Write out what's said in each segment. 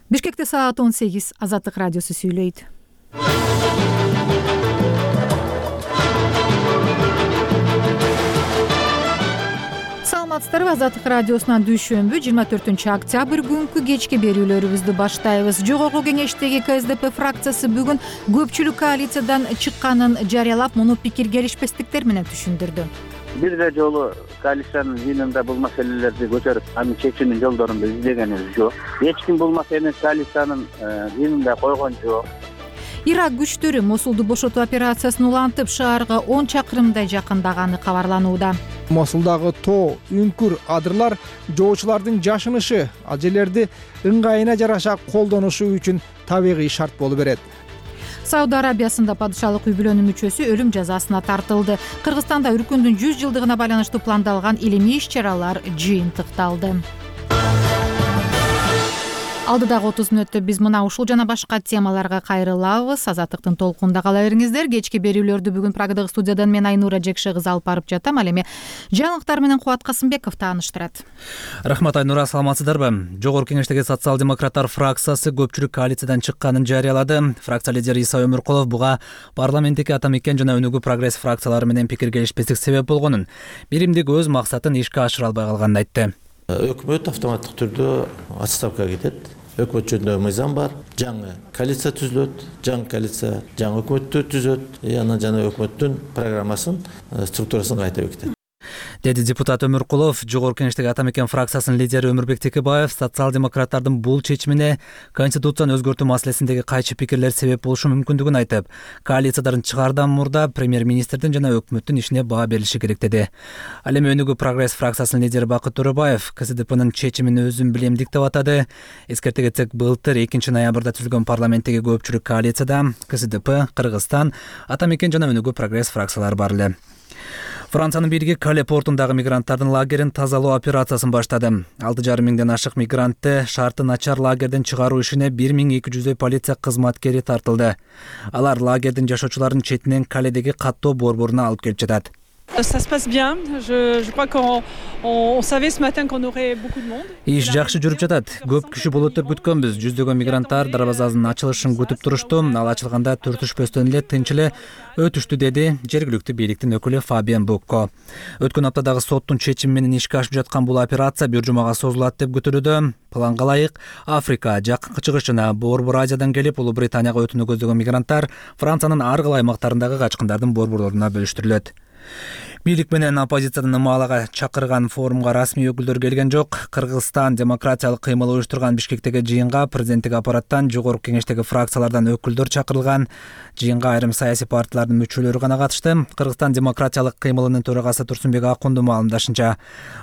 Бишкекте саат 18. Азаттык радиосу сүйлөйт. Саламатсыздарбы? Азаттык радиосунан дүйшөмбү 24 октябрь күнкү кечки берүүлөрүбүздү баштайбыз. Жогорку кеңештеги КСДП фракциясы бүгүн көпчүлүк коалициядан чыкканын жарыялап, муну пикир келишпестиктер менен түшүндүрдү. Бир жолу коалициянын жыйынында бул маселелерди көтөрүп, анын чечимин жолдорун издегенибиз жок. Эч ким бул маселени коалициянын жыйынында койгон жок. Ирак күчтөрү Мосулду бошотуу операциясын улантып, шаарга 10 чакырымдай жакындаганы кабарланууда. Мосулдагы тоо, үңкүр, адырлар жоочулардын жашынышы, ал жерлерди ыңгайына жараша колдонушу үчүн табигый шарт болуп берет. Сауд Арабиясында падышалык үй-бүлөнүн мүчөсү өлүм жазасына тартылды. Кыргызстанда үркүндүн 100 жылдыгына байланыштуу пландалган илимий иш-чаралар жыйынтыкталды. Алдыдагы 30 мүнөттө биз мына ушул жана башка темаларга кайрылабыз. Азаттыктын толкунда кала бериңиздер. Кечки берүүлөрдү бүгүн Прагадагы студиядан мен Айнура Жекше кызы алып барып жатам. Ал эми жаңылыктар менен Кубат Касымбеков тааныштырат. Рахмат, Айнура, саламатсыздарбы? Жогорку кеңештеги социал-демократтар фракциясы көпчүлүк коалициядан чыкканын жарыялады. Фракция лидери Иса Өмүркулов буга парламенттики Ата Мекен жана Өнүгүү прогресс фракциялары менен пикир келишпестик себеп болгонун, биримдик өз максатын ишке ашыра албай калганын айтты. Өкмөт автоматтык түрдө отставкага кетет. Өкмөт жөнүндө мыйзам бар. Жаңы коалиция түзүлөт, жаңы коалиция жаңы өкмөттү түзөт, анан жана өкмөттүн программасын, структурасын кайта бекитет. Деди депутат Өмүркулов. Жогорку кеңештеги Ата Мекен фракциясынын лидери Өмүрбек Текебаев социал-демократтардын бул чечимине конституцияны өзгөртүү маселесиндеги кайчы пикирлер себеп болушу мүмкүндүгүн айтып, коалициядан чыгаардан мурда премьер-министрдин жана өкмөттүн ишине баа берилиши керек деди. Ал эми Өнүгүү прогресс фракциясынын лидери Бакыт Төрөбаев КСДПнын чечимин өзүн билемдик деп атады. Эскерте кетсек, былтыр 2 ноябрда түзүлгөн парламенттеги көпчүлүк коалицияда КСДП, Кыргызстан, Ата Мекен жана Өнүгүү прогресс фракциялары бар эле. Франциянын бийлиги Кале портундагы мигранттардын лагерин тазалоо операциясын баштады. 6,5 миңден ашык мигрантты шарты начар лагерден чыгаруу ишине 1200 полиция кызматкери тартылды. Алар лагердин жашоочуларын четинен Каледеги каттоо борборуна алып келип жатат. Ça se passe bien. Je crois qu'on savait ce matin qu'on aurait beaucoup de monde. Иш жакшы жүрүп жатат. Көп киши болот деп күткөнбүз. Жүздөгөн мигранттар дарбазанын ачылышын күтүп турушту. Ал ачылганда түртүшпөстөн эле тынч эле өтүштү, деди жергиликтүү бийликтин өкүлү Фабиан Букко. Өткөн аптадагы соттун чечими менен ишке ашып жаткан бул операция бир жумага созулат деп күтүлүүдө. Планга ылайык Африка, Жакынкы Чыгыш жана Борбор Азиядан келип Улуу Британияга өтүүнү көздөгөн мигранттар Франциянын ар кайсы аймактарындагы качкындардын борборлоруна бөлүштүрүлөт. Бийлик менен оппозицияны ымаалага чакырган форумга расмий өкүлдөр келген жок. Кыргызстан демократиялык кыймыл уюштурган Бишкектеги жыйынга президенттик аппараттан, жогорку кеңештеги фракциялардан өкүлдөр чакырылган. Жыйынга айрым саясий партиялардын мүчөлөрү гана катышты. Кыргызстан демократиялык кыймылынын төрагасы Турсунбек Акунду маалымдашынча,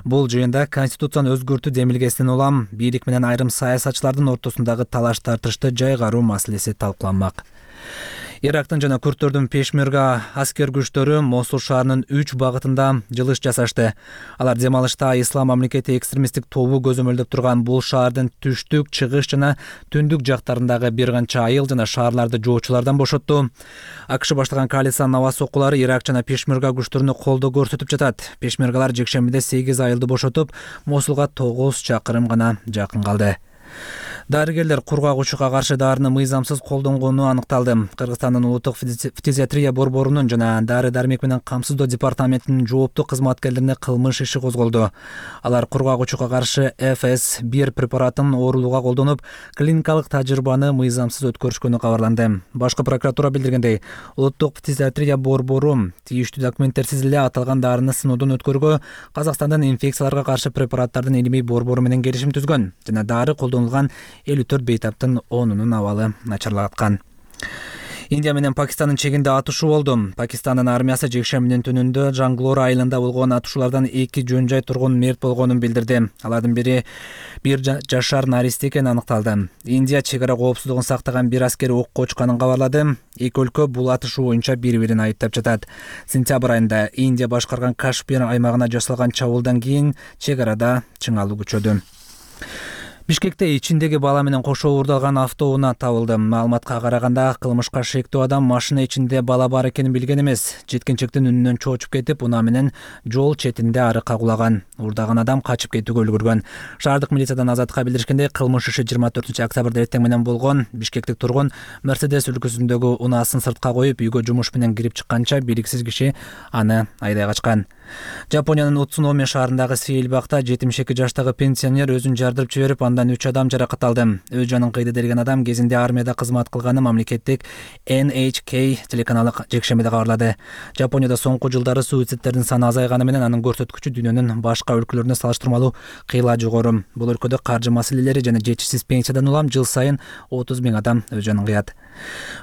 бул жыйында конституцияны өзгөртүү демилгесинен улам бийлик менен айрым саясатчылардын ортосундагы талаш тартышты жайгаруу маселеси талкууланмак. Ирактын жана күрттөрдүн пешмерга аскер күчтөрү Мосул шаарынын 3 багытында жылыш жасашты. Алар дем алышта Ислам мамлекети экстремисттик тобу көзөмөлдөп турган бул шаардын түштүк, чыгыш жана түндүк жактарындагы бир канча айыл жана шаарларды жоочулардан бошотту. АКШ баштаган коалициянын аба соккулары Ирак жана пешмерга күчтөрүнө колдоо көрсөтүп жатат. Пешмергалар жекшембиде 8 айылды бошотуп, Мосулга 9 чакырым гана жакын калды. Дарыгерлер кургак учукка каршы дарыны мыйзамсыз колдонгону аныкталды. Кыргызстандын улуттук фтизиатрия борборунун жана дары-дармек менен камсыздоо департаментинин жооптуу кызматкерлерине кылмыш иши козголду. Алар кургак учукка каршы ФС-1 препаратын оорулууга колдонуп, клиникалык тажрыйбаны мыйзамсыз өткөрүшкөнү кабарланды. Башкы прокуратура билдиргендей, улуттук фтизиатрия борбору тийиштүү документтерсиз эле аталган дарыны сыноодон өткөргө Казакстандын инфекцияларга каршы препараттардын илимий борбору менен келишим түзгөн жана дары колдонулган 54 бейтаптын 10-унун абалы начарлаткан. Индия менен Пакистандын чегинде атышуу болду. Пакистандын армиясы жекшембинин түнүндө Джанглор айылында болгон атышуулардан 2 жөн жай тургун мерт болгонун билдирди. Алардын бири 1 жашар наристе экени аныкталды. Индия чегара коопсуздугун сактаган бир аскери окко учканын кабарлады. Эки өлкө бул атышуу боюнча бири-бирин айыптап жатат. Сентябрь айында Индия башкарган Кашмир аймагына жасалган чабуулдан кийин чегарада чыңалуу күчөдү. Бишкекте ичиндеги бала менен кошо уурдалган автоунаа табылды. Маалыматка караганда кылмышка шектүү адам машина ичинде бала бар экенин билген эмес. Жеткинчектин үнүнөн чоочуп кетип, унаа менен жол четинде арыкка кулаган. Уурдаган адам качып кетүүгө үлгүргөн. Шаардык милициядан Азаттыкка билдиришкендей, кылмыш иши 24 октябрда эртең менен болгон. Бишкектик тургун Мерседес үлгүсүндөгү унаасын сыртка коюп, үйгө жумуш менен кирип чыкканча белгисиз киши аны айдай качкан. Жапониянын Утсуноми шаарындагы сейилбакта 72 жаштагы пенсионер өзүн жардырып жиберип, андан 3 адам жаракат алды. Өз жанын кыйды деген адам кезинде армияда кызмат кылганы мамлекеттик NHK телеканалы жекшембиде кабарлады. Жапонияда соңку жылдары суицидтердин саны азайганы менен анын көрсөткүчү дүйнөнүн башка өлкөлөрүнө салыштырмалуу кыйла жогору. Бул өлкөдө каржы маселелери жана жетишсиз пенсиядан улам жыл сайын 30 000 адам өз жанын кыят.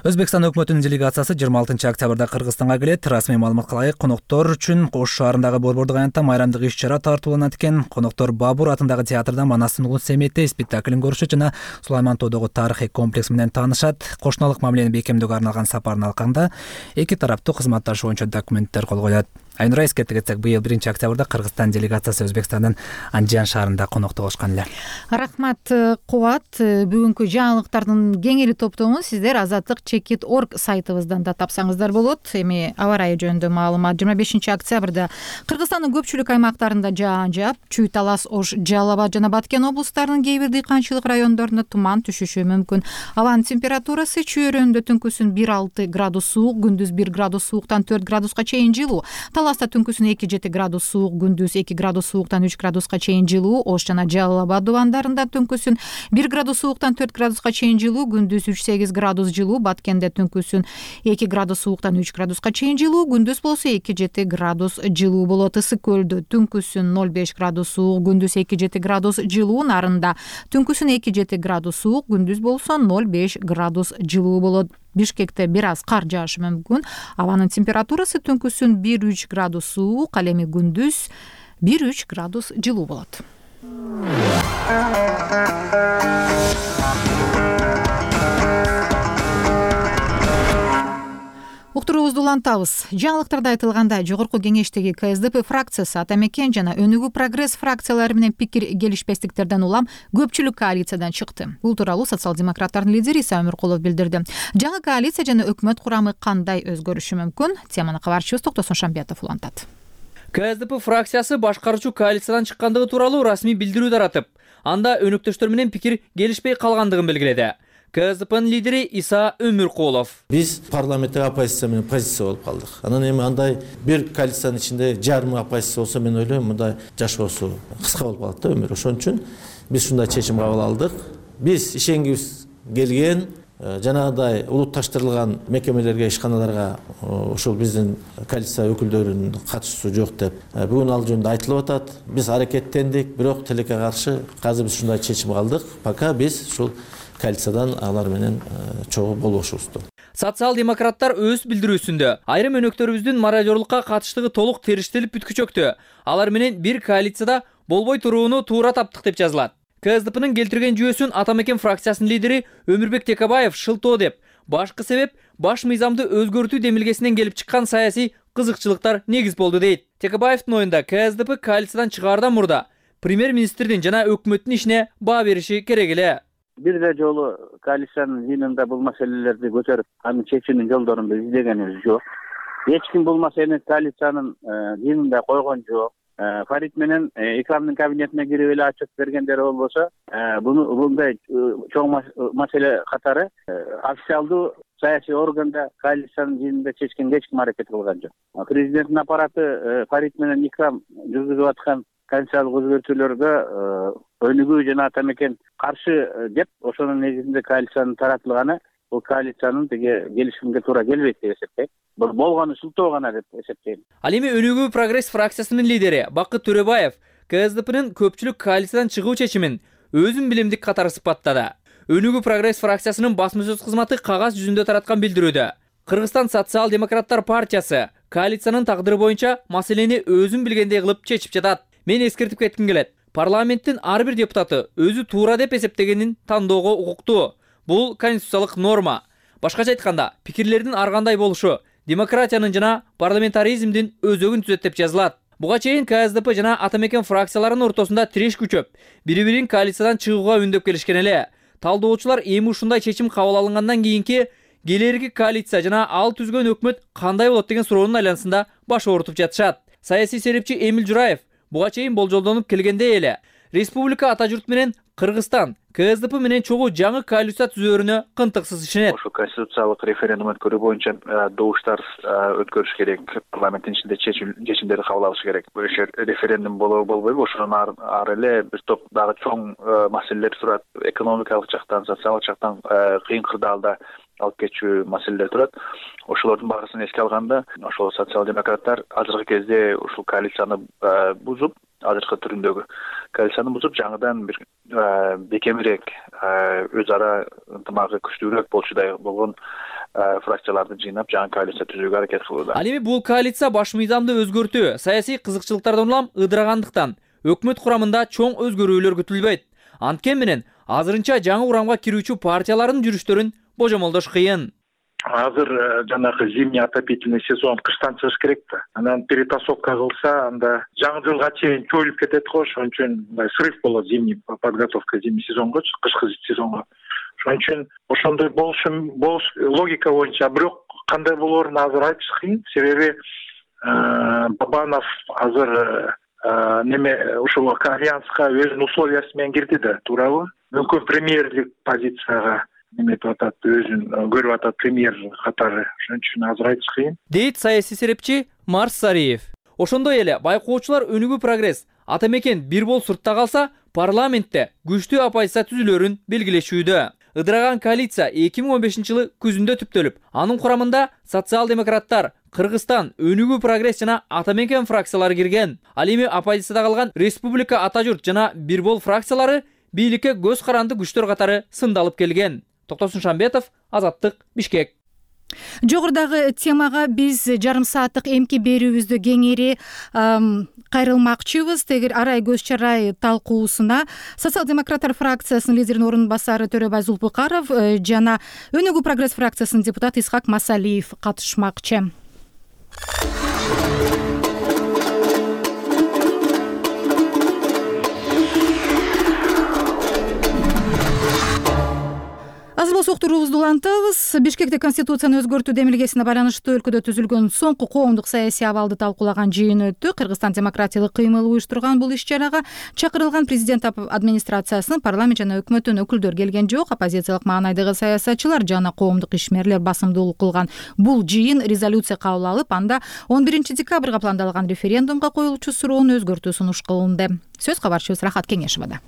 Өзбекстан өкмөтүнүн делегациясы 26 октябрда Кыргызстанга келет. Расмий маалыматка ылайык, коноктор үчүн Ош шаарындагы Борбордук аянтта майрамдык иш-чара тартууланат экен. Коноктор Бабур атындагы театрда Манастын улуу Семетте спектаклин көрүшөт жана Сулаймантоодогу тарыхый комплекс менен таанышат. Кошуналык мамилени бекемдөөгө арналган сапарын алганда эки тараптуу кызматташуу боюнча документтер кол коюлат. Айнура эскерте кетсек, быйыл 1 октябрда Кыргызстан делегациясы Өзбекстандын Анжан шаарында конокто болушкан эле. Рахмат Кубат. Бүгүнкү жаңылыктардын кеңири топтомун сиздер Азаттык.org сайтыбыздан да тапсаңыздар болот. Эми аба ырайы жөнүндө маалымат. 25 октябрда Кыргызстандын көпчүлүк аймактарында жаан жаап, Чүй, Талас, Ош, Жалал Абад жана Баткен облустарынын кээ бир дыйканчылык райондорунда туман түшүшү мүмкүн. Абанын температурасы Чүй өрөөнүндө түнкүсүн 1-6 градус суук, күндүз 1 градус сууктан 4 градуска чейин жылуу. Таласта түнкүсүн 2-7 градус суук, күндүз 2 градус сууктан 3 градуска чейин жылуу. Ош жана Жалал Абад дубандарында түнкүсүн 1 градус сууктан 4 градуска чейин жылуу, күндүз 3-8 градус жылуу. Баткенде түнкүсүн 2 градус сууктан 3 градуска чейин жылуу, күндүз болсо 2-7 градус жылуу болот. Ысык көлдө түнкүсүн 0-5 градус суук, күндүз 2-7 градус жылуу. Нарында түнкүсүн 2-7 градус суук, күндүз болсо 0-5 градус жылуу болот. Бишкекте бир аз кар жаашы мүмкүн. Абанын температурасы түнкүсүн 1-3 градус суук, ал эми күндүз 1-3 градус жылуу болот. Уктуруубузду улантабыз. Жаңылыктарда айтылгандай, жогорку кеңештеги КСДП фракциясы Ата Мекен жана Өнүгүү Прогресс фракциялары менен пикир келишпестиктерден улам көпчүлүк коалициядан чыкты. Бул тууралуу социал-демократтардын лидери Иса Өмүркулов билдирди. Жаңы коалиция жана өкмөт курамы кандай өзгөрүшү мүмкүн? Теманы кабарчыбыз Токтосун Шамбиятов улантат. КСДП фракциясы башкаруучу коалициядан чыккандыгы тууралуу расмий билдирүү таратып, анда өнөктөштөр менен пикир келишпей калгандыгын белгиледи. КСДПнын лидери Иса Өмүркулов: Биз парламенттик оппозиция менен позиция болуп калдык. Анан эми андай бир коалициянын ичинде жарымы оппозиция болсо, мен ойлойм мындай жашоосу кыска болуп калат да өмүрү. Ошон үчүн биз ушундай чечим кабыл алдык. Биз ишенгибиз келген жанагындай улутташтырылган мекемелерге, ишканаларга ушул биздин коалиция өкүлдөрүнүн катышуусу жок деп бүгүн ал жөнүндө айтылып атат. Биз аракеттендик, бирок тилекке каршы азыр биз ушундай чечим алдык. Пока биз ушул коалициядан алар менен чогуу болбошубузду. Социал-демократтар өз билдирүүсүндө айрым өнөктөрүбүздүн мародёрлукка катыштыгы толук териштелип бүткүчөктү. Алар менен бир коалицияда болбой турууну туура таптык деп жазылат. КСДПнын келтирген жүйөсүн Ата Мекен фракциясынын лидери Өмүрбек Текебаев шылтоо деп, башкы себеп баш мыйзамды өзгөртүү демилгесинен келип чыккан саясий кызыкчылыктар негиз болду дейт. Текебаевдин оюнда КСДП коалициядан чыгаардан мурда премьер-министрдин жана өкмөттүн ишине баа бериши керек эле. Бир жолу коалициянын жыйынында бул маселелерди көтөрүп, анын чечүүнүн жолдорун издегенибиз жок. Эч ким бул маселени коалициянын жыйынында койгон жок. Фарид менен Икрамдын кабинетине кирип эле ачып бергендери болбосо, мындай чоң маселе катары официалдуу саясий органда коалициянын жыйынында чечкенге эч ким аракет кылган жок. Президенттин аппараты Фарид менен Икрам жүргүзүп аткан конституциялык өзгөртүүлөргө Өнүгүү жана Ата Мекен каршы деп, ошонун негизинде коалициянын таратылганы бул коалициянын келишимге туура келбейт деп эсептейм. Бул болгону шылтоо гана деп эсептейм. Ал эми Өнүгүү Прогресс фракциясынын лидери Бакыт Төрөбаев КСДПнын көпчүлүк коалициядан чыгуу чечимин өзүн билимдик катары сыпаттады. Өнүгүү Прогресс фракциясынын басма сөз кызматы кагаз жүзүндө тараткан билдирүүдө Кыргызстан социал-демократтар партиясы коалициянын тагдыры боюнча маселени өзүн билгендей кылып чечип жатат. Мен эскертип кетким келет. Парламенттин ар бир депутаты өзү туура деп эсептегенин тандоого укуктуу. Бул конституциялык норма. Башкача айтканда, пикирлердин ар кандай болушу демократиянын жана парламентаризмдин өзөгүн түзөт деп жазылат. Буга чейин КСДП жана Ата Мекен фракцияларынын ортосунда тиреш күчөп, бири-бирин коалициядан чыгууга үндөп келишкен эле. Талдоочулар эми ушундай чечим кабыл алынгандан кийинки келерги коалиция жана ал түзгөн өкмөт кандай болот деген суроонун айланасында баш оорутуп жатышат. Саясий серепчи Эмил Жураев буга чейин болжолдонуп келгендей эле республика ата журт менен Кыргызстан КСДП менен чогуу жаңы коалиция түзөөрүнө кынтыксыз ишенет. Ошо конституциялык референдум өткөрүү боюнча добуштар өткөрүш керек, парламенттин ичинде чечимдерди кабыл алыш керек. Ошо референдум болбойбу, ошонун ары эле бир топ дагы чоң маселелер турат. Экономикалык жактан, социалдык жактан кыйын кырдаалда алып кетчү маселелер турат. Ошолордун баарысын эске алганда, ошол социал-демократтар азыркы кезде ушул коалицияны бузуп, азыркы түрүндөгү коалицияны бузуп, жаңыдан бир бекемирээк, өз ара ынтымагы күчтүүрөөк болчудай болгон фракцияларды жыйнап жаңы коалиция түзүүгө аракет кылууда. Ал эми бул коалиция баш мыйзамды өзгөртүү, саясий кызыкчылыктардан улам ыдырагандыктан өкмөт курамында чоң өзгөрүүлөр күтүлбөйт. Анткени менен азырынча жаңы урамга кирүүчү партиялардын жүрүштөрүн божомолдош кыйын. Азыр жанагы зимний отопительный сезон кыштан чыгыш керек да. Анан перетасовка кылса, анда жаңы жылга чейин чоюлуп кетет го, ошон үчүн срыв болот зимний подготовка зимний сезонго, кышкы сезонго. Ошон үчүн ошондой болуш логика боюнча, бирок кандай болоорун азыр айтыш кыйын, себеби Бабанов азыр ушул альянска өзүнүн условиясы менен кирди да, туурабы? Мүмкүн премьерлик позицияга неметип атат, өзүн көрүп атат премьер катары. Ошон үчүн азыр айтыш кыйын. Дейт саясий серепчи Марс Сариев. Ошондой эле байкоочулар Өнүгүү прогресс Ата Мекен бир бол суртта калса, парламентте күчтүү оппозиция түзүлөрүн белгилешүүдө. Ыдыраган коалиция 2015-жылы күзүндө түптөлүп, анын курамында социал-демократтар, Кыргызстан, Өнүгүү прогресс жана Ата Мекен фракциялары кирген. Ал эми оппозицияда калган Республика Ата журт жана Бир бол фракциялары бийликке көз каранды күчтөр катары сындалып келген. Токтосун Шамбетов, Азаттык, Бишкек. Жогорудагы темага биз жарым сааттык эмки берүүбүздү кеңири кайрылмакчыбыз. Тегер арай көз чарай талкуусуна социал-демократтар фракциясынын лидеринин орун басары Төрөбай Зулпукаров жана Өнүгүү прогресс фракциясынын депутаты Исхак Масалиев катышмакчы. Азыр болсо уктуруубузду улантабыз. Бишкекте конституцияны өзгөртүү демилгесине байланыштуу өлкөдө түзүлгөн соңку коомдук саясий абалды талкуулаган жыйын өттү. Кыргызстан демократиялык кыймыл уюштурган бул иш-чарага чакырылган президент администрациясынын, парламент жана өкмөттүн өкүлдөр келген жок. Оппозициялык маанайдагы саясатчылар жана коомдук ишмерлер басымдуулук кылган бул жыйын резолюция кабыл алып, анда 11 декабрга пландалган референдумга коюлуучу суроонун өзгөртүү сунуш кылынды. Сөз кабарчыбыз Рахат Кеңешевада.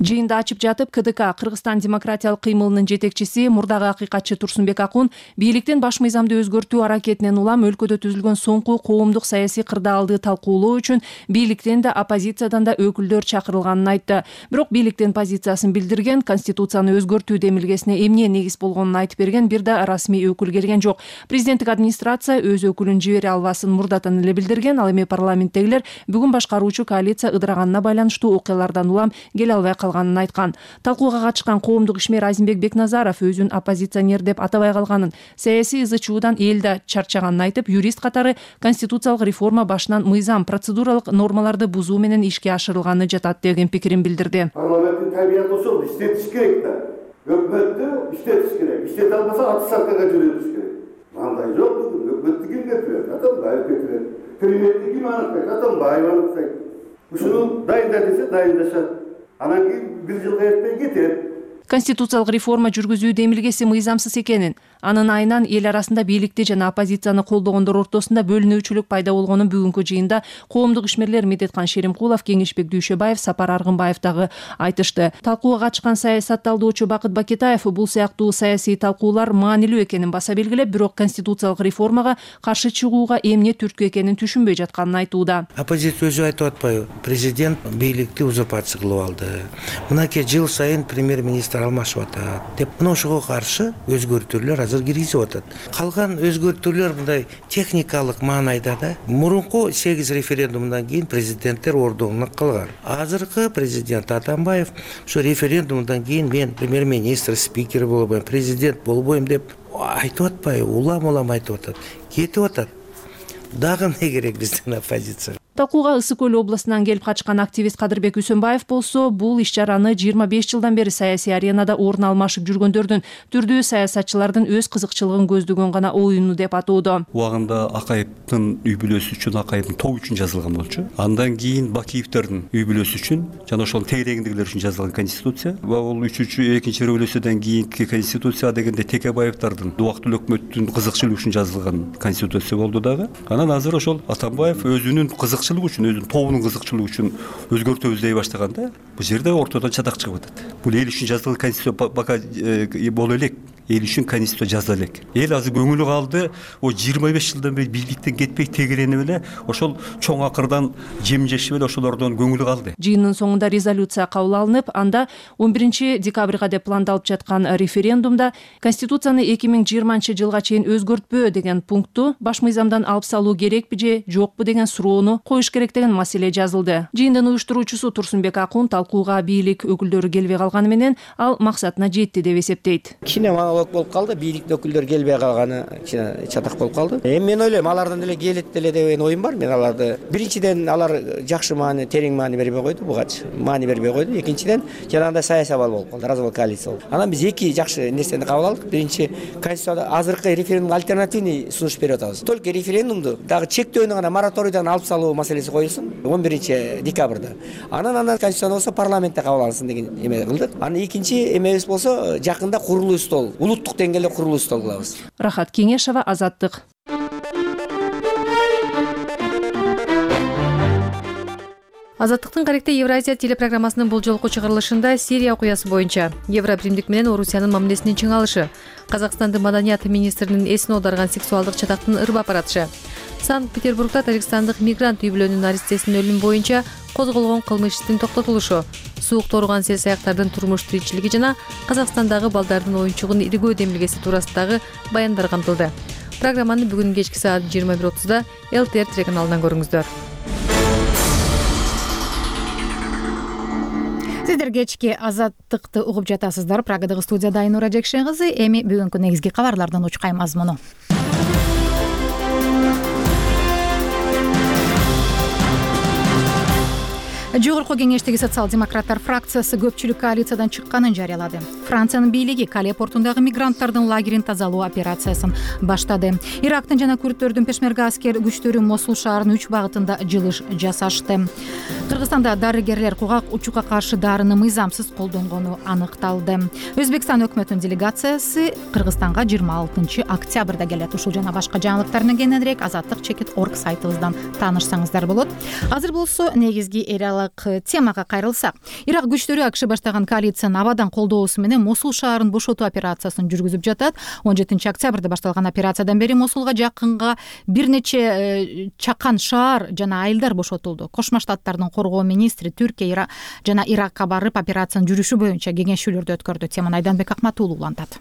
Жыйында ачып жатып, КДК Кыргызстан демократиялык кыймылынын жетекчиси, мурдагы акыйкатчы Турсунбек Акун бийликтин баш мыйзамды өзгөртүү аракетинен улам өлкөдө түзүлгөн соңку коомдук саясий кырдаалды талкуулоо үчүн бийликтен да оппозициядан да өкүлдөр чакырылганын айтты. Бирок бийликтин позициясын билдирген, конституцияны өзгөртүү демилгесине эмне негиз болгонун айтып берген бир да расмий өкүл келген жок. Президенттик администрация өз өкүлүн жибере албасын мурдатан эле билдирген. Ал эми парламенттегилер бүгүн башкаруучу коалиция ыдыраганына байланыштуу окуялардан улам келе албай айткан. Талкууга катышкан коомдук ишмер Азимбек Бекназаров өзүн оппозиционер деп атабай калганын, саясий ызы-чуудан эл да чарчаганын айтып, юрист катары конституциялык реформа башынан мыйзам, процедуралык нормаларды бузуу менен ишке ашырылганы жатат деген пикирин билдирди. Парламенттин табияты ошол, иштетиш керек да. Өкмөттү иштетиш керек. Иштете албаса отставкага жибериш керек. Мындай жок, өкмөттү ким кетирет? Атамбаев кетирет. Премьерди ким аныктайт? Атамбаев аныктайт. Ушуну дайында десе дайындашат. Анан кийин бир жылга эртпей кетет. Конституциялык реформа жүргүзүү демилгеси мыйзамсыз экенин, анын айынан эл арасында бийликти жана оппозицияны колдогондор ортосунда бөлүнүүчүлүк пайда болгонун бүгүнкү жыйында коомдук ишмерлер Медеткан Шеримкулов, Кеңешбек Дүйшөбаев, Сапар Аргынбаев дагы айтышты. Талкууга катышкан саясат талдоочу Бакыт Бакетаев бул сыяктуу саясий талкуулар маанилүү экенин баса белгилеп, бирок конституциялык реформага каршы чыгууга эмне түрткү экенин түшүнбөй жатканын айтууда. Оппозиция өзү айтып атпайбы? Президент бийликти узурпация кылып алды. Мынакей жыл сайын премьер-министр алмашып атат деп, мына ошого каршы өзгөртүүлөр азыр киргизип атат. Калган өзгөртүүлөр мындай техникалык маанайда да. Мурунку 8 референдумдан кийин президенттер ордуна калган. Азыркы президент Атамбаев ошо референдумдан кийин мен премьер-министр, спикер болбойм, президент болбойм деп айтып атпайбы? Улам айтып атат. Кетип атат. Дагы эмне керек биздин оппозиция? Талкууга Ысык Көл областынан келип качкан активист Кадырбек Үсөнбаев болсо, бул иш-чараны 25 жылдан бери саясий аренада орун алмашып жүргөндөрдүн, түрдүү саясатчылардын өз кызыкчылыгын көздөгөн гана оюну деп атоодо. Убагында Акаевдин үй бүлөсү үчүн, Акаевдин тобу үчүн жазылган болчу. Андан кийин Бакиевдердин үй бүлөсү үчүн жана ошол тегерегиндегилер үчүн жазылган конституция. Бул экинчи революциядан кийинки конституция дегенде Текебаевдардын убактылуу өкмөттүн кызыкчылыгы үчүн жазылган конституция болду дагы. Анан азыр ошол Атамбаев өзүнүн кызыкчылыгы үчүн, өзүнүн тобунун кызыкчылыгы үчүн өзгөртөбүз дей баштаганда, бул жерде ортодон чатак чыгып атат. Бул эл үчүн жазылган конституция бака боло элек. Эл үчүн конституция жазыла элек. Эл азыр көңүлү калды, о 25 жылдан бери бийликтен кетпей тегеренип эле ошол чоң акырдан жемжешип эле ошолордон көңүлү калды. Жыйындын соңунда резолюция кабыл алынып, анда 11 декабрга деп пландалып жаткан референдумда Конституцияны 2020 жылга чейин өзгөртпөө деген пунктту баш мыйзамдан алып салуу керекпи же жокпу деген суроону коюш керек деген маселе жазылды. Жыйындын уюштуруучусу Турсунбек Акун талкууга бийлик өкүлдөрү келбей калганы менен ал максатына жетти деп эсептейт. Болуп калды, бийликтин өкүлдөрү келбей калганы чатак болуп калды. Мен ойлойм, алардан деле келет деле деген оюм бар. Мен аларды биринчиден алар жакшы маани, терең маани бербей койду, бугач маани бербей койду. Экинчиден жанагындай саясий абал болуп калды, развал коалиция болду. Анан биз эки жакшы нерсени кабыл алдык. Биринчи, конституцияда азыркы референдумга альтернативный сунуш берип атабыз. Только референдумду дагы чектөөнү гана мораторийден алып салуу маселеси коюлсун 11 декабрда. Анан конституцияны болсо парламентте кабыл алынсын деген эме кылдык. Анан экинчи эмебиз болсо жакында курулуу стол, улуттук деңгээлде курулуу стол кылабыз. Рахат Кеңешова, Азаттык. Азаттыктын Каректе Евразия телепрограммасынын бул жолку чыгарылышында Сирия окуясы боюнча Евробиримдик менен Орусиянын мамилесинин чыңалышы, Казакстандын маданият министринин эсин оодарган сексуалдык чатактын ырбап баратышы, Санкт-Петербургда Тажикстандык мигрант үй бүлөнүн аристесинин өлүмү боюнча козголгон кылмыш иштин токтотулушу, суук тооруган сел-саяктардын турмуш тиричилиги жана Казакстандагы балдардын оюнчугун иргөө демилгеси туурасындагы баяндар камтылды. Программаны бүгүн кечки саат 21:30 ЛТР телеканалынан көрүңүздөр. Сиздер кечки Азаттыкты угуп жатасыздар. Прагадагы студияда Айнура Жекшен кызы. Эми бүгүнкү негизги кабарлардын учкай мазмуну. Жогорку кеңештеги социал-демократтар фракциясы көпчүлүк коалициядан чыкканын жарыялады. Франциянын бийлиги Кале портундагы мигранттардын лагерин тазалоо операциясын баштады. Ирактын жана күрдтөрдүн пешмерга аскер күчтөрү Мосул шаарынын 3 багытында жылыш жасашты. Кыргызстанда дарыгерлер кургак учукка каршы дарыны мыйзамсыз колдонгону аныкталды. Өзбекстан өкмөтүнүн делегациясы Кыргызстанга 26 октябрда келет. Ушул жана башка жаңылыктардан кененирээк Азаттык.org сайтыбыздан таанышсаңыздар болот. Азыр болсо негизги темага кайрылсак, Ирак күчтөрү АКШ баштаган коалициянын абадан колдоосу менен Мосул шаарын бошотуу операциясын жүргүзүп жатат. 17 октябрда башталган операциядан бери Мосулга жакынга бир нече чакан шаар жана айылдар бошотулду. Кошмо Штаттардын коргоо министри Түркия жана Иракка барып операциянын жүрүшү боюнча кеңешүүлөрдү өткөрдү. Теманы Айданбек Акматуулу улантат.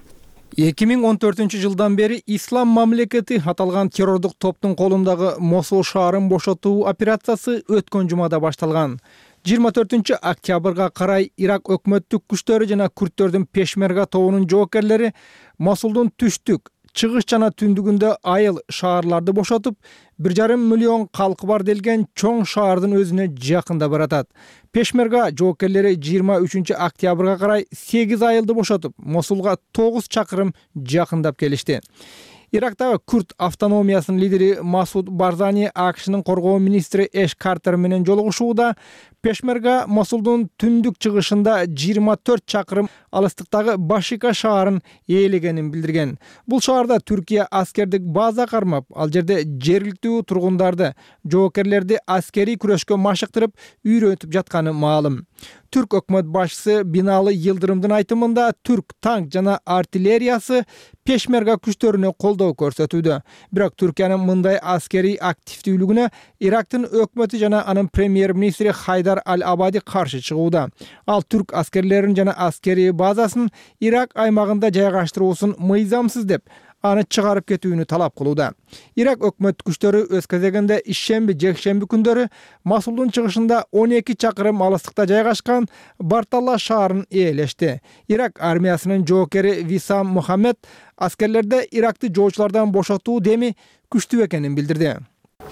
2014 жылдан бери Ислам мамлекети аталган террордук топтун колундагы Мосул шаарын бошотуу операциясы өткөн жумада башталган. 24 октябрга карай Ирак өкмөттүк күчтөрү жана күрдтөрдүн пешмерга тобунун жоокерлери Мосулдун түштүк, чыгыш жана түндүгүндө айыл шаарларды бошотуп, 1,5 миллион калкы бар делген чоң шаардын өзүнө жакында баратат. Пешмерга жоокерлери 23 октябрга карай 8 айылды бошотуп, Мосулга 9 чакырым жакындап келишти. Ирактагы күрд автономиясынын лидери Масуд Барзани АКШнын коргоо министри Эш Картер менен жолугушууда Пешмерга Мосулдун түндүк чыгышында 24 чакырым алыстыктагы Башика шаарын ээлегенин билдирген. Бул шаарда Түркия аскердик база кармап, ал жерде жергиликтүү тургундарды, жоокерлерди аскерий күрөшкө машыктырып, үйрөтүп жатканы маалым. Түрк өкмөт башчысы Бинали Йылдырымдын айтымында түрк танк жана артиллериясы пешмерга күчтөрүнө колдоо көрсөтүүдө. Бирок Түркиянын мындай аскерий активдүүлүгүнө Ирактын өкмөтү жана анын премьер-министри Хайдар Аль-Абади каршы чыгууда. Ал түрк аскерлерин жана аскерий базасын Ирак аймагында жайгаштыруусун мыйзамсыз деп, аны чыгарып кетүүнү талап кылууда. Ирак өкмөт күчтөрү өз кезегинде ишемби, жекшемби күндөрү Мосулдун чыгышында 12 чакырым алыстыкта жайгашкан Барталла шаарын ээлешти. Ирак армиясынын жоокери Висам Мухаммед аскерлерде Иракты жоочулардан бошотуу деми күчтүү экенин билдирди.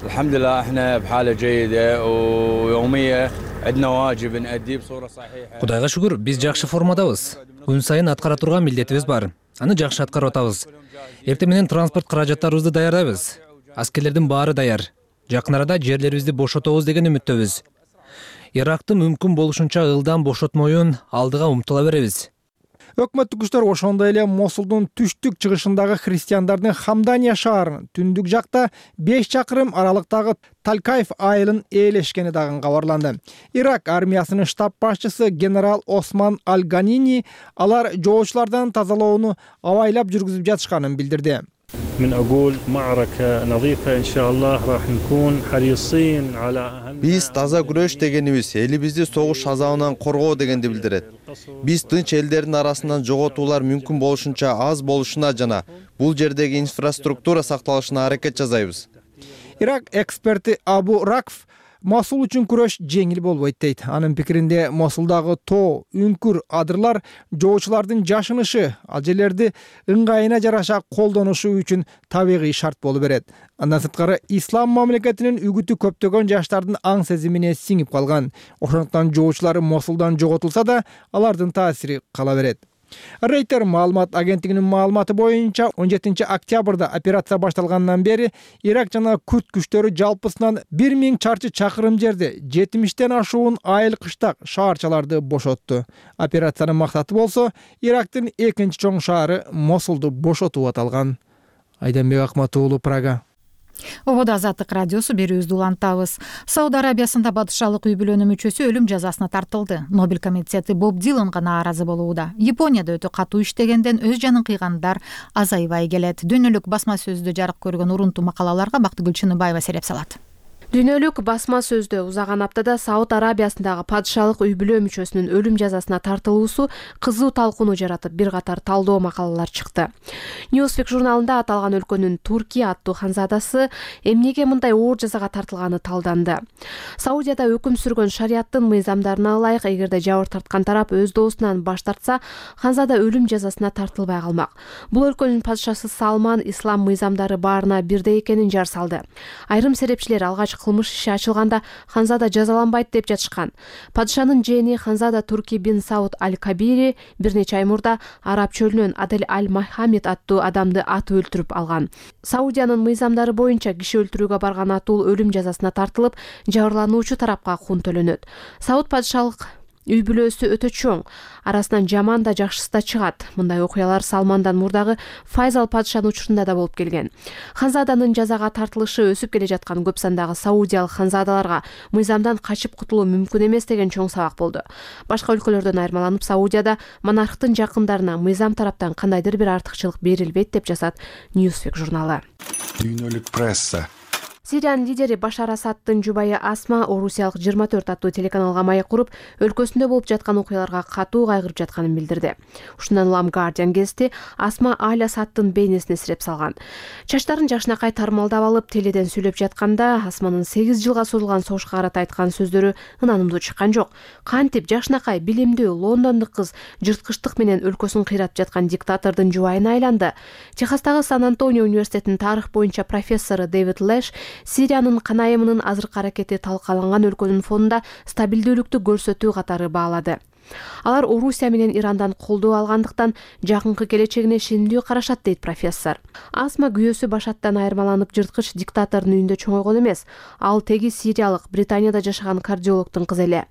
الحمد لله احنا بحالة جيدة ويومية عندنا واجب نأديه بصورة صحيحة. Кудайга шүгүр, биз жакшы формадабыз. Күн сайын аткара турган милдетибиз бар. Аны жакшы аткарып атабыз. Эртең менен транспорт каражаттарыбызды даярдайбыз. Аскерлердин баары даяр. Жакын арада жерлерибизди бошотобуз деген үмүттөбүз. Иракты мүмкүн болушунча ылдам бошотмоюн алдыга умтула беребиз. Өкмөттүк күчтөр ошондой эле Мосулдун түштүк чыгышындагы христиандардын Хамдания шаарынын түндүк жакта 5 чакырым аралыктагы Талкайф айылын ээлешкени дагы кабарланды. Ирак армиясынын штаб башчысы генерал Осман Аль-Ганини алар жоочулардан тазалоону абайлап жүргүзүп жатышканын билдирди. من أقول معركة نظيفة إن شاء الله راح نكون حريصين على أهم. Биз таза күрөш дегенибиз элибизди согуш азабынан коргоо дегенди билдирет. Биз тынч элдердин арасынан жоготуулар мүмкүн болушунча аз болушуна жана бул жердеги инфраструктура сакталышына аракет жасайбыз. Ирак эксперти Абу Ракф Мосул үчүн күрөш жеңил болбойт дейт. Анын пикиринде Мосулдагы тоо, үңкүр, адырлар жоочулардын жашынышы, ал жерлерди ыңгайына жараша колдонушу үчүн табигый шарт болуп берет. Андан сырткары ислам мамлекетинин үгүтү көптөгөн жаштардын аң сезимине сиңип калган. Ошондуктан жоочулар Мосулдан жоготулса да, алардын таасири кала берет. Рейтер маалымат агенттигинин маалыматы боюнча 17 октябрда операция башталгандан бери Ирак жана Күрд күчтөрү жалпысынан 1000 чарчы чакырым жерди 70тен ашуун айыл кыштак шаарчаларды бошотту. Операциянын максаты болсо Ирактын экинчи чоң шаары Мосулду бошотуу аталган. Айданбек Акмат уулу, Прага. Ободо Азаттык радиосу берүүбүздү улантабыз. Сауд Арабиясында батышалык үй бүлөнүн мүчөсү өлүм жазасына тартылды. Нобель комитети Боб Диланга нааразы болууда. Японияда өтө катуу иштегенден өз жанын кыйгандар азайбай келет. Дүйнөлүк басма сөздө жарык көргөн урунтуу макалаларга Бактыгүл Чыныбаева сереп салат. Дүйнөлүк басма сөздө узаган аптада Сауд Арабиясындагы падышалык үй бүлө мүчөсүнүн өлүм жазасына тартылуусу кызуу талкууну жаратып, бир катар талдоо макалалар чыкты. Newsweek журналында аталган өлкөнүн Туркия аттуу ханзадасы эмнеге мындай оор жазага тартылганы талданды. Саудияда өкүм сүргөн шарияттын мыйзамдарына ылайык, эгерде жабыр тарткан тарап өз доосунан баш тартса, ханзада өлүм жазасына тартылбай калмак. Бул өлкөнүн падышасы Салман ислам мыйзамдары баарына бирдей экенин жар салды. Айрым серепчилер алгач кылмыш иши ачылганда ханзада жазаланбайт деп жатышкан. Падышанын жээни ханзада Турки бин Сауд аль-Кабири бир нече ай мурда Араб чөлүнөн Адель аль-Махамид аттуу адамды атып өлтүрүп алган. Саудиянын мыйзамдары боюнча киши өлтүрүүгө барган атул өлүм жазасына тартылып, жабырлануучу тарапка кун төлөнөт. Сауд падышалык үй бүлөсү өтө чоң, арасынан жаман да жакшысы да чыгат. Мындай окуялар Салмандан мурдагы Файзал падышанын учурунда да болуп келген. Ханзаданын жазага тартылышы өсүп келе жаткан көп сандагы саудиялык ханзадаларга мыйзамдан качып кутулуу мүмкүн эмес деген чоң сабак болду. Башка өлкөлөрдөн айырмаланып, Саудияда монархтын жакындарына мыйзам тараптан кандайдыр бир артыкчылык берилбейт деп жазат Newsweek журналы. Дүйнөлүк пресса. Сириянын лидери Башар Асадтын жубайы Асма орусиялык 24 аттуу телеканалга маек куруп, өлкөсүндө болуп жаткан окуяларга катуу кайгырып жатканын билдирди. Ушундан улам Guardian гезити Асма Аль Асадтын бейнесине сиреп салган. Чачтарын жакшынакай тармалдап алып, теледен сүйлөп жатканда Асманын 8 жылга созулган согушка карата айткан сөздөрү ынанымдуу чыккан жок. Кантип жакшынакай, билимдүү лондондук кыз жырткычтык менен өлкөсүн кыйратып жаткан диктатордун жубайына айланды. Техастагы Сан-Антонио университетинин тарых боюнча профессору Дэвид Лэш Сириянын канайымынын азыркы аракети талкаланган өлкөнүн фонунда стабилдүүлүктү көрсөтүү катары баалады. Алар Орусия менен Ирандан колдоо алгандыктан жакынкы келечегине ишенимдүү карашат, дейт профессор. Асма күйөөсү Башаттан айырмаланып жырткыч диктатордун үйүндө чоңойгон эмес. Ал теги сириялык, Британияда жашаган кардиологдун кызы эле.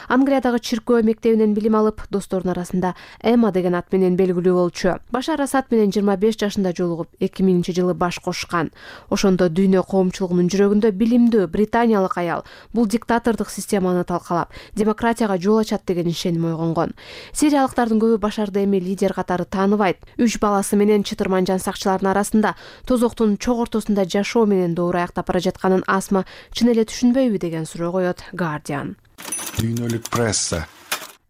Англиядагы чиркөө мектебинен билим алып, досторунун арасында Эмма деген ат менен белгилүү болчу. Башар Асад менен 25 жашында жолугуп, 2000-жылы баш кошкан. Ошондо дүйнө коомчулугунун жүрөгүндө билимдүү британиялык аял бул диктатордук системаны талкалап, демократияга жол ачат деген ишеним ойгонгон. Сириялыктардын көбү Башарды эми лидер катары тааныбайт. 3 баласы менен чытырман жан сакчылардын арасында тозоктун чок ортосунда жашоо менен дооро аяктап бара жатканын Асма чын эле түшүнбөйбү деген суроо коет Guardian. Дүйнөлүк пресса.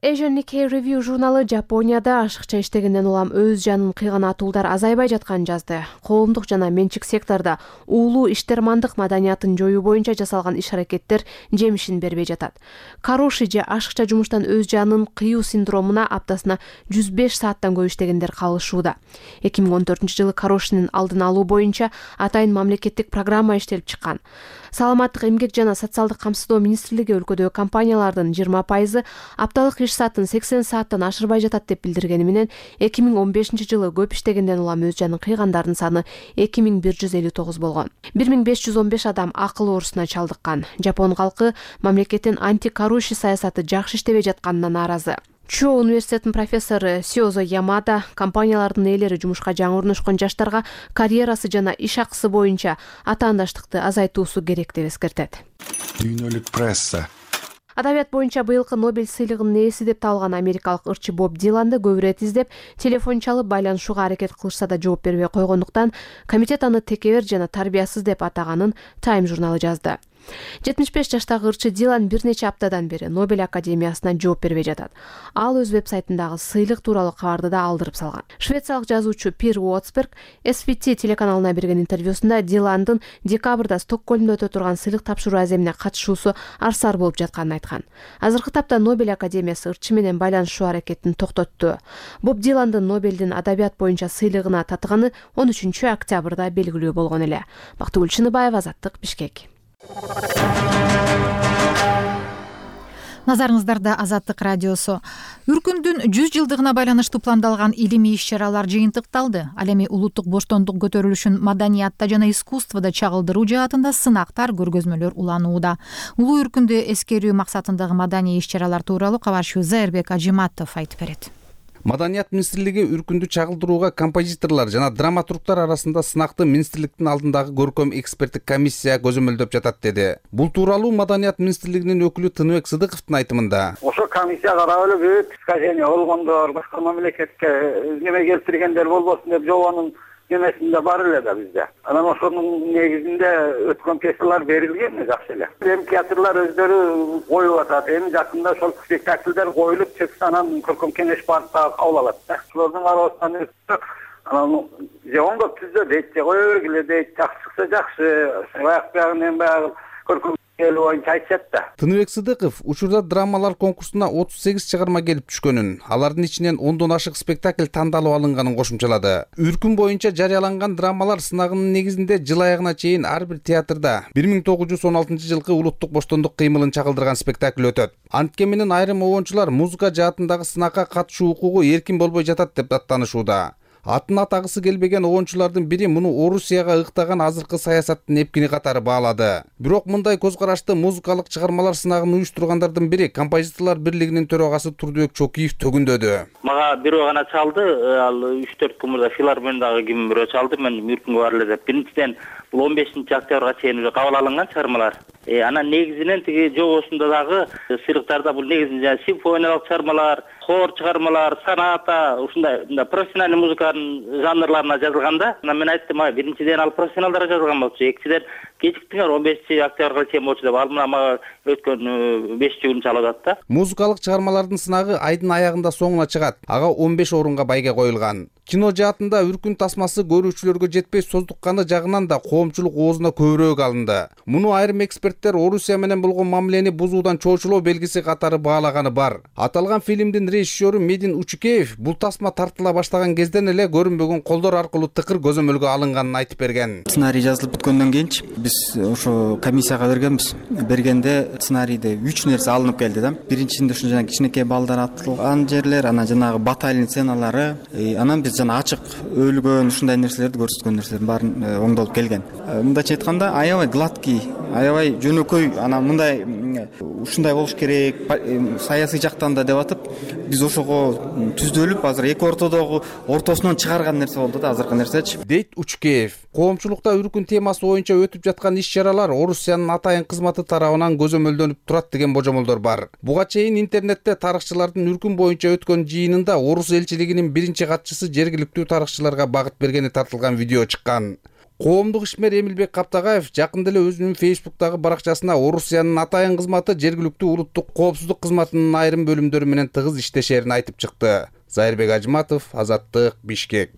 Asian Nikkei Review журналы Жапонияда ашыкча иштегенден улам өз жанын кыйган атуулдар азайбай жатканын жазды. Коомдук жана менчик сектордо уулуу иштермандык маданиятын жоюу боюнча жасалган иш-аракеттер жемишин бербей жатат. Кароши же ашыкча жумуштан өз жанын кыюу синдромуна аптасына 105 сааттан көп иштегендер калышууда. 2014-жылы Карошинин алдын алуу боюнча атайын мамлекеттик программа иштелип чыккан. Саламаттык, эмгек жана социалдык камсыздоо министрлиги өлкөдөгү компаниялардын 20% апталык иш саатын 80 сааттан ашырбай жатат деп билдиргени менен 2015 жылы көп иштегенден улам өз жанын кыйгандардын саны 2159 болгон. 1515 адам акыл оорусуна чалдыккан. Жапон калкы мамлекеттин антикоррупция саясаты жакшы иштебей жатканына нааразы. Чо университетинин профессору Сиозо Ямада компаниялардын ээлери жумушка жаңы орношкон жаштарга карьерасы жана иш акысы боюнча атаандаштыкты азайтуусу керек деп эскертет. Дүйнөлүк пресса. Адабият боюнча быйылкы Нобель сыйлыгынын ээси деп табылган америкалык ырчы Боб Диланды көп ирет издеп, телефон чалып байланышууга аракет кылышса да жооп бербей койгондуктан комитет аны текебер жана тарбиясыз деп атаганын Time журналы жазды. 75 жаштагы ырчы Дилан бир нече аптадан бери Нобель академиясына жооп бербей жатат. Ал өз вебсайтындагы сыйлык тууралуу кабарды да алдырып салган. Швециялык жазуучу Пир Уотсберг SVT телеканалына берген интервьюсунда Диландын декабрда Стокгольмдо өтө турган сыйлык тапшыруу аземине катышуусу арсар болуп жатканын айткан. Азыркы тапта Нобель академиясы ырчы менен байланышуу аракетин токтотту. Боб Диландын Нобелдин адабият боюнча сыйлыгына татыганы 13 октябрда белгилүү болгон эле. Бактыгүл Чыныбаева, Азаттык, Бишкек. Назарыңыздарда Азаттык радиосу. Үркүндүн 100 жылдыгына байланыштуу пландалган илимий иш-чаралар жыйынтыкталды. Ал эми улуттук боштондук көтөрүлүшүн маданиятта жана искусствода чагылдыруу жаатында сынактар, көргөзмөлөр уланууда. Улуу үркүндү эскерүү максатындагы маданий иш-чаралар тууралуу кабарчы Зайырбек Ажиматов айтып берет. Маданият министрлиги үркүндү чагылдырууга композиторлор жана драматургтар арасында сынакты министрликтин алдындагы көркөм эксперттик комиссия көзөмөлдөп жатат деди. Бул тууралуу Маданият министрлигинин өкүлү Тыныбек Сыдыковдун айтымында. Ошо комиссия карап эле бүт искажение болгондор, башка мамлекетке неме келтиргендер болбосун деп жобонун немесинде бар эле да бизде. Анан ошонун негизинде өткөн пьесалар берилген жакшы эле. Эми театрлар өздөрү коюп атат. Эми жакында ошол спектакльдер коюлуп чыкса анан көркөм кеңеш барып кабыл алат да. Ошолордун арасынан анан же оңдоп түздө дейт, же кое бергиле дейт, жакшы чыкса жакшы, баягы эми баягы көркөм боюнча айтышат да. Тыныбек Сыдыков учурда драмалар конкурсуна 38 чыгарма келип түшкөнүн, алардын ичинен 10дон ашык спектакль тандалып алынганын кошумчалады. Үркүн боюнча жарыяланган драмалар сынагынын негизинде жыл аягына чейин ар бир театрда 1916 жылкы улуттук боштондук кыймылын чагылдырган спектакль өтөт. Антке менен айрым обончулар музыка жаатындагы сынакка катышуу укугу эркин болбой жатат деп даттанышууда. Атын атагысы келбеген обончулардын бири муну Орусияга ыктаган азыркы саясаттын эпкини катары баалады. Бирок мындай көз карашты музыкалык чыгармалар сынагын уюштургандардын бири композиторлор бирлигинин төрагасы Турдубек Чокиев төгүндөдү. Мага бирөө гана чалды, ал 3-4 күн мурда филармониядагы ким бирөө чалды, мен үркүнгө бар эле деп. Биринчиден бул 15-октябрга чейин кабыл алынган чыгармалар. Анан негизинен тиги жобосунда дагы сыйлыктарда бул негизинен симфониялык чыгармалар, хор чыгармалар, соната, ушундай профессиональный музыканын жанрларына жазылганда, мен айттым, биринчиден ал профессионалдарга жазылган болчу, экинчиден кечиктиңер 15-октябрга чейин болчу деп, ал мага өткөн 5 күн чалып атат да. Музыкалык чыгармалардын сынагы айдын аягында соңуна чыгат. Ага 15 орунга байге коюлган. Кино жаатында үркүн тасмасы көрүүчүлөргө жетпей создукканы жагынан да коомчулук оозуна көбүрөөк алынды. Муну айрым эксперттер Орусия менен болгон мамилени бузуудан чоочулоо белгиси катары баалаганы бар. Аталган фильмдин режиссеру Медин Учукеев бул тасма тартыла баштаган кезден эле көрүнбөгөн колдор аркылуу тыкыр көзөмөлгө алынганын айтып берген. Сценарий жазылып бүткөндөн кийинчи биз ошо комиссияга бергенбиз. Бергенде сценарийде 3 нерсе алынып келди да. Биринчисинде ушул жана кичинекей балдар атылган жерлер, анан жанагы батальон сценалары, анан биз жана ачык өлгөн ушундай нерселерди көрсөткөн нерселердин баарын оңдолуп келген. Мындайча айтканда, аябай гладкий, аябай жөнөкөй, анан мындай ушундай болуш керек, саясий жактан да деп атып, биз ошого түздөлүп азыр эки ортосунан чыгарган нерсе болду да, азыркы нерсечи. Дейт Учкеев. Коомчулукта үркүн темасы боюнча өтүп жаткан иш-чаралар Орусиянын атайын кызматы тарабынан көзөмөлдөнүп турат деген божомолдор бар. Буга чейин интернетте тарыхчылардын үркүн боюнча өткөн жыйынында Орус элчилигинин биринчи катчысы жергиликтүү тарыхчыларга багыт бергени тартылган видео чыккан. Коомдук ишмер Эмилбек Каптагаев жакында эле өзүнүн Facebook'тагы баракчасына Орусиянын атайын кызматы жергиликтүү улуттук коопсуздук кызматынын айрым бөлүмдөрү менен тыгыз иштешерин айтып чыкты. Зайырбек Ажиматов, Азаттык, Бишкек.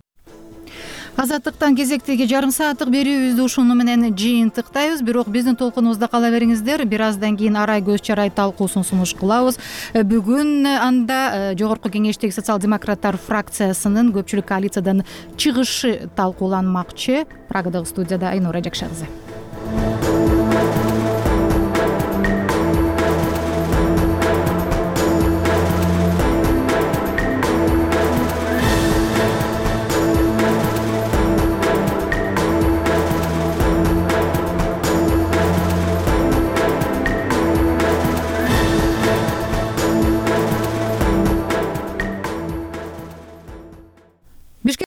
Азаттыктан кезектеги жарым сааттык берүүбүздү ушуну менен жыйынтыктайбыз. Бирок биздин толкунубузда кала бериңиздер. Бир аздан кийин арай көз чарай талкуусун сунуш кылабыз. Бүгүн анда Жогорку Кеңештеги социал-демократтар фракциясынын көпчүлүк коалициядан чыгышы талкууланмакчы. Прагадагы студияда Айнура Жакшагызы.